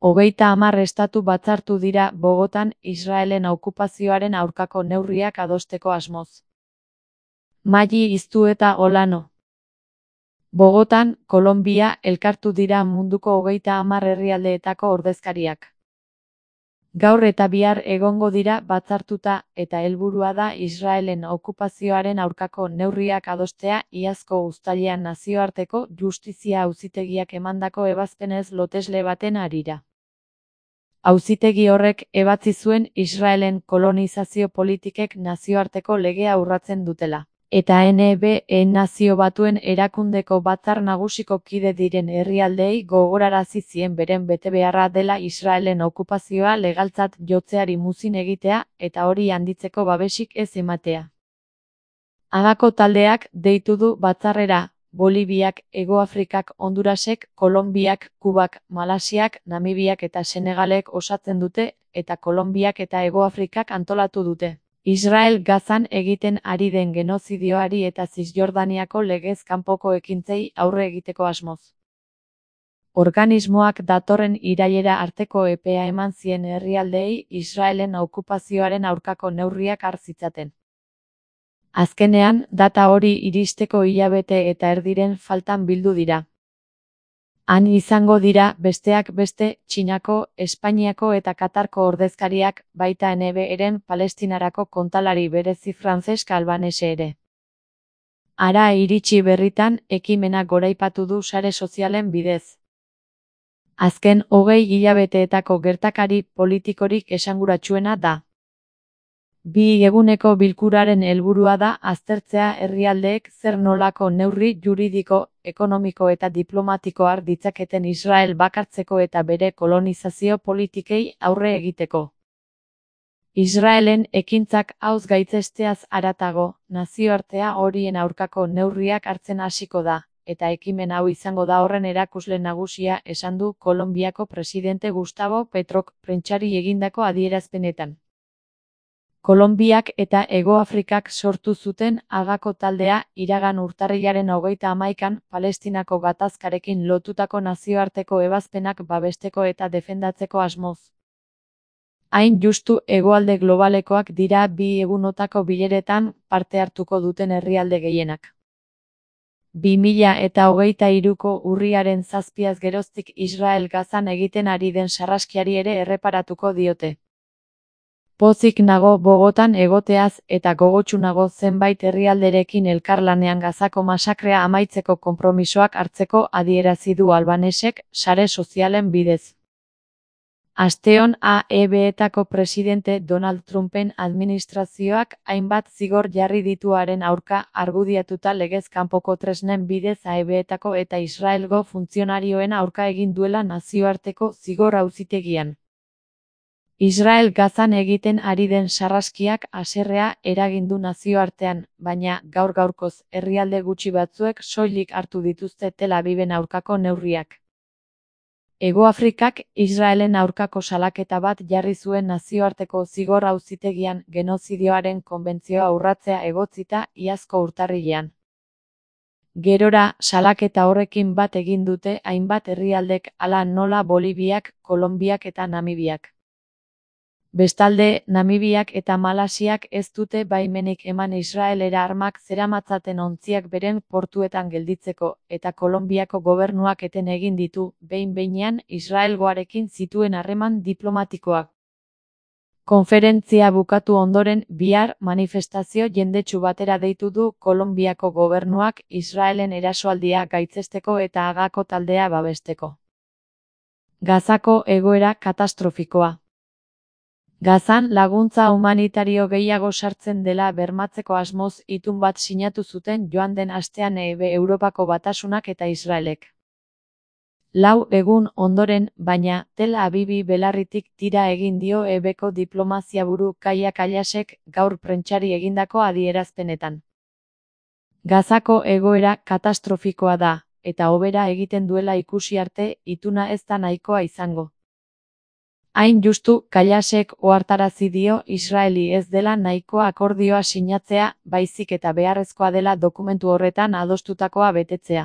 30 estatu batzartu dira Bogotan Israelen okupazioaren aurkako neurriak adosteko asmoz. Mali Iztueta Olano. Bogotan, Kolonbia, elkartu dira munduko 30 herrialdeetako ordezkariak. Gaur eta bihar egongo dira batzartuta eta helburua da Israelen okupazioaren aurkako neurriak adostea iazko uztailean nazioarteko justizia auzitegiak emandako ebazpenez lotesle baten harira. Auzitegi horrek ebatzi zuen Israelen kolonizazio politikek nazioarteko legea urratzen dutela. Eta NBE Nazio Batuen Erakundeko Batzar Nagusiko kide diren herrialdeei gogorarazi zien beren betebeharra dela Israelen okupazioa legaltzat jotzeari muzin egitea eta hori handitzeko babesik ez ematea. Hagako taldeak deitu du batzarrera Boliviak, Hegoafrikak, Hondurasek, Kolonbiak, Kubak, Malasiak, Namibiak eta Senegalek osatzen dute eta Kolonbiak eta Hegoafrikak antolatu dute. Israel Gazan egiten ari den genozidioari eta Zisjordaniako legez kanpoko ekintzei aurre egiteko asmoz. Organismoak datorren irailera arteko epea eman zien herrialdeei Israelen okupazioaren aurkako neurriak har zitzaten. Azkenean, data hori iristeko hilabete eta erdiren faltan bildu dira. Han izango dira, besteak beste, Txinako, Espainiako eta Katarko ordezkariak, baita NBE-ren Palestinarako kontalari berezi Francesc Albanese ere. Hara iritsi berritan, ekimena goraipatu du sare sozialen bidez. Azken 20 hilabeteetako gertakari politikorik esanguratsuena da. 2 eguneko bilkuraren helburua da aztertzea herrialdeek zer nolako neurri juridiko, ekonomiko eta diplomatiko har ditzaketen Israel bakartzeko eta bere kolonizazio politikei aurre egiteko. Israelen ekintzak hauz gaitzesteaz haratago, nazioartea horien aurkako neurriak hartzen hasiko da, eta ekimen hau izango da horren erakusle nagusia esan du Kolonbiako presidente Gustavo Petrok prentsari egindako adierazpenetan. Kolonbiak eta Hegoafrikak sortu zuten Hagako taldea iragan urtarrilaren 31an Palestinako gatazkarekin lotutako nazioarteko ebazpenak babesteko eta defendatzeko asmoz. Hain justu hegoalde globalekoak dira 2 egunotako bileretan parte hartuko duten herrialde gehienak. 2023ko urriaren 7az geroztik Israel Gazan egiten ari den sarraskiari ere erreparatuko diote. Pozik nago Bogotan egoteaz eta gogotsu nago zenbait herrialderekin elkarlanean Gazako masakrea amaitzeko konpromisoak hartzeko adierazi du Albanesek sare sozialen bidez. Asteon AEB-etako presidente Donald Trumpen administrazioak hainbat zigor jarri dituaren aurka argudiatuta legez kanpoko tresnen bidez AEB-etako eta Israelgo funtzionarioen aurka egin duela nazioarteko zigor auzitegian. Israel Gazan egiten ari den sarraskiak haserrea eragin du nazioartean, baina gaur-gaurkoz herrialde gutxi batzuek soilik hartu dituzte Tel Aviven aurkako neurriak. Hegoafrikak Israelen aurkako salaketa bat jarri zuen nazioarteko zigor auzitegian genozidioaren konbentzioa urratzea egotzita iazko urtarrilean. Gerora, salaketa horrekin bat egin dute hainbat herrialdek hala nola Boliviak, Kolonbiak eta Namibiak. Bestalde, Namibiak eta Malasiak ez dute baimenik eman Israelera armak zeramatzaten ontziak beren portuetan gelditzeko, eta Kolonbiako gobernuak eten egin ditu, behin-behinean Israelgoarekin zituen harreman diplomatikoak. Konferentzia bukatu ondoren, bihar manifestazio jendetsu batera deitu du Kolonbiako gobernuak Israelen erasoaldia gaitzesteko eta Hagako taldea babesteko. Gazako egoera katastrofikoa. Gazan laguntza humanitario gehiago sartzen dela bermatzeko asmoz itun bat sinatu zuten joan den astean Europako Batasunak eta Israelek. 4 egun ondoren, baina, Tel Avivi belarritik tira egin dio EBko diplomaziaburu Kaia Kallasek gaur prentsari egindako adierazpenetan. Gazako egoera katastrofikoa da, eta hobera egiten duela ikusi arte ituna ez da nahikoa izango. Hain justu, Kallasek ohartarazi dio Israeli ez dela nahikoa akordioa sinatzea, baizik eta beharrezkoa dela dokumentu horretan adostutakoa betetzea.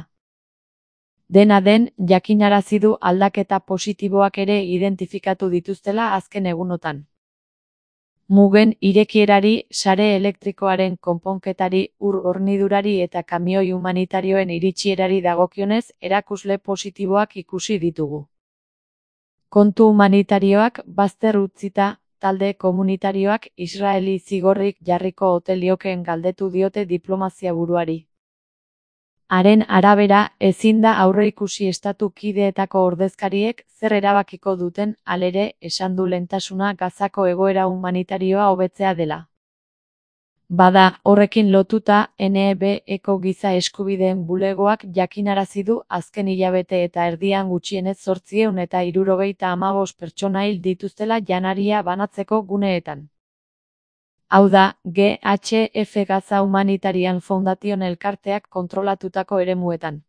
Dena den, jakinarazi du aldaketa positiboak ere identifikatu dituztela azken egunotan. Mugen irekierari, sare elektrikoaren konponketari, ur-hornidurari eta kamioi humanitarioen iritsierari dagokionez erakusle positiboak ikusi ditugu. Kontu humanitarioak bazter utzita, talde komunitarioak Israeli zigorrik jarriko ote liokeen galdetu diote diplomazia buruari. Haren arabera, ezin da aurreikusi estatu kideetako ordezkariek zer erabakiko duten, halere, esan du lehentasuna Gazako egoera humanitarioa hobetzea dela. Bada, horrekin lotuta, NEB-eko giza eskubideen bulegoak jakinarazi du azken hilabete eta erdian gutxienez 875 pertsona hil dituztela janaria banatzeko guneetan. Hau da, GHF Gaza Humanitarian Foundation elkarteak kontrolatutako eremuetan.